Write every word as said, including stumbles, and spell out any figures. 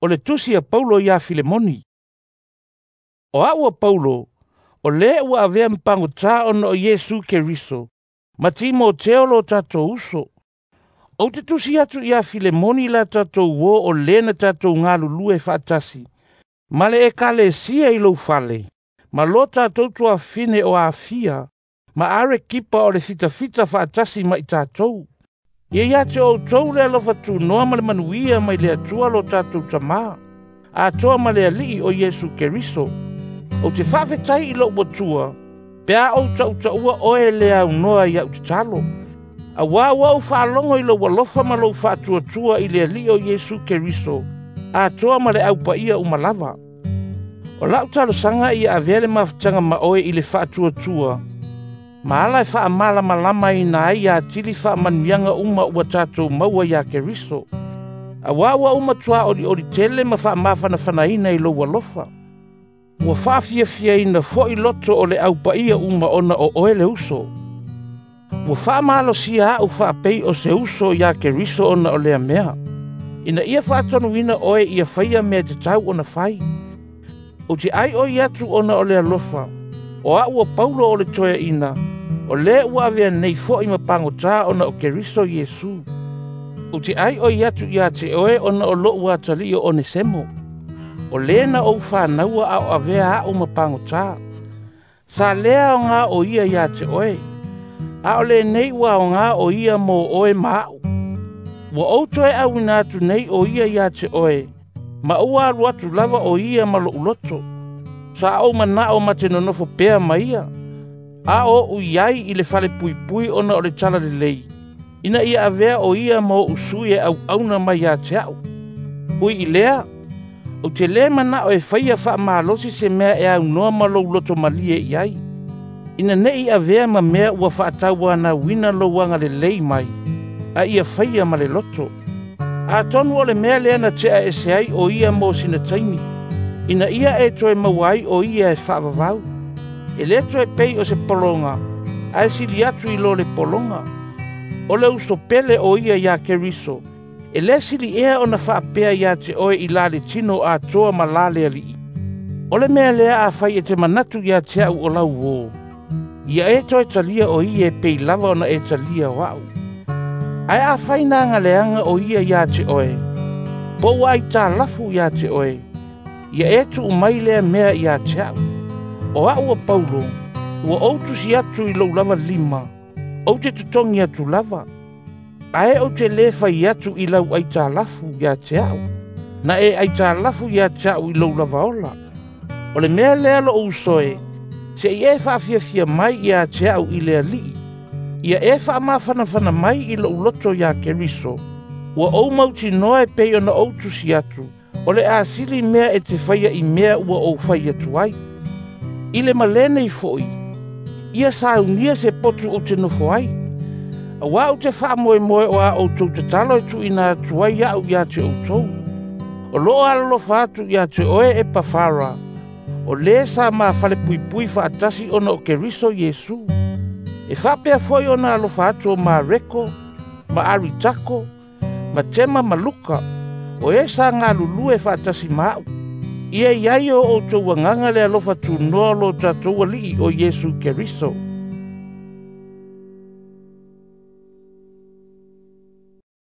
O le tusi a Paulo ia Filemoni. O a'u a Paulo, o lē ua avea ma pagotā ona o Iesu Keriso, ma Timoteo lo tatou uso. Ou te tusi atu ia Filemoni la tatou uō o lē na tatou galulue faatasi, ma le ekalesia i lou fale, ma lo tatou tuafafine o Afia, ma Arekipa o le fitafita faatasi ma i tatou. Ia ia te outou le alofa tunoa ma le manuia mai le Atua lo tatou Tamā, atoa ma le Alii o Iesu Keriso. Ou te faafetai i lou Atua, pe a ou tautaua oe le aunoa i au tatalo. Auā ua ou faalogo i lou alofa ma lou faatuatua i le Alii o Iesu Keriso, atoa ma le aupaia uma lava. O lau talosaga ia avea le mafutaga ma oe i le faatuatua, ma ala e faamalamalamaina ai atili faamanuiaga uma ua tatou maua iā Keriso. Auā ua ou matuā olioli tele ma faamafanafanaina i lou alofa. Ua faafiafiaina foi loto o le aupaia uma ona o oe le uso. Ua faamalosia a'u faapei o se uso iā Keriso ona o lea mea, ina ia faatonuina oe ia faia mea tatau ona fai. Ou te aioi atu ona o le alofa, o a'u o Paulo o le toeaina, o lē ua avea nei fo'i ma pagotā ona o Keriso Iesu. Ou te aioi atu iā te oe ona o lo'u atalii o Onesemo, o lē na ou fanaua a o avea a'u ma pagotā. Sa lē aogā o ia iā te oe, a o lenei ua aogā o ia mō oe ma a'u. Ua ou toe auina atu nei o ia iā te oe, ma ua alu atu lava o ia ma lo'u loto. Sa ou mana'o ma te nonofo pea ma ia, a o oʻu i ai i le falepuipui ona o le talalelei, ina ia avea o ia ma oʻu sui e auauna mai ia te a'u. Ui i lea, ou te lē mana'o e faia faamalosi se mea e aunoa ma lou loto malie i ai, ina ne'i avea ma mea ua faatauanauina lou agalelei mai, a ia faia ma le loto. Atonu o le mea lea na te'a ese ai o ia mo sina taimi, ina ia e toe maua ai o ia e faavavau. E lē toe pei o se pologa, ae sili atu i lo le pologa. O le uso pele o ia iā Keriso, e lē sili ea ona faapea iā te oe i la le tino atoa ma la le Alii. O le mea lea afai e te manatu ia te a'u o lau uō, ia e toe talia o ia e pei lava ona e talia o a'u. Ae afai na agaleaga o ia iā te oe, po ua aitalafu iā te oe, ia e tuu mai lea mea iā te a'u. O a'u o Paulo, ua ou tusi atu i lou lava lima, ou te totogi atu lava. Ae ou te lē fai atu i lau aitalafu iā te a'u, na e aitalafu iā te a'u i lou lava ola. O le mea lea lo'u uso e, se'i e faafiafia mai iā te a'u i le Alii. Ia e faamafanafana mai i lo'u loto iā Keriso, ua ou mautinoa e pei ona ou tusi atu, o le a sili mea e te faia i mea ua ou fai atu ai. I le malē nei fo'i, ia saunia se potu ou te nofo ai. Auā ou te faamoemoe o a outou tatalo e tuuina atu ai a'u iā te outou. O loo alolofa atu iā te oe e Pafara, o lē sa ma falepuipui faatasi ona o Keriso Iesu. E faapea foi ona alofa atu o Mareko, ma Aritako, ma Tema ma Luka, o e sa galulue faatasi ma a'u. Ia i ai o outou agaga le alofa tunoa o lo tatou Alii o Iesu Keriso.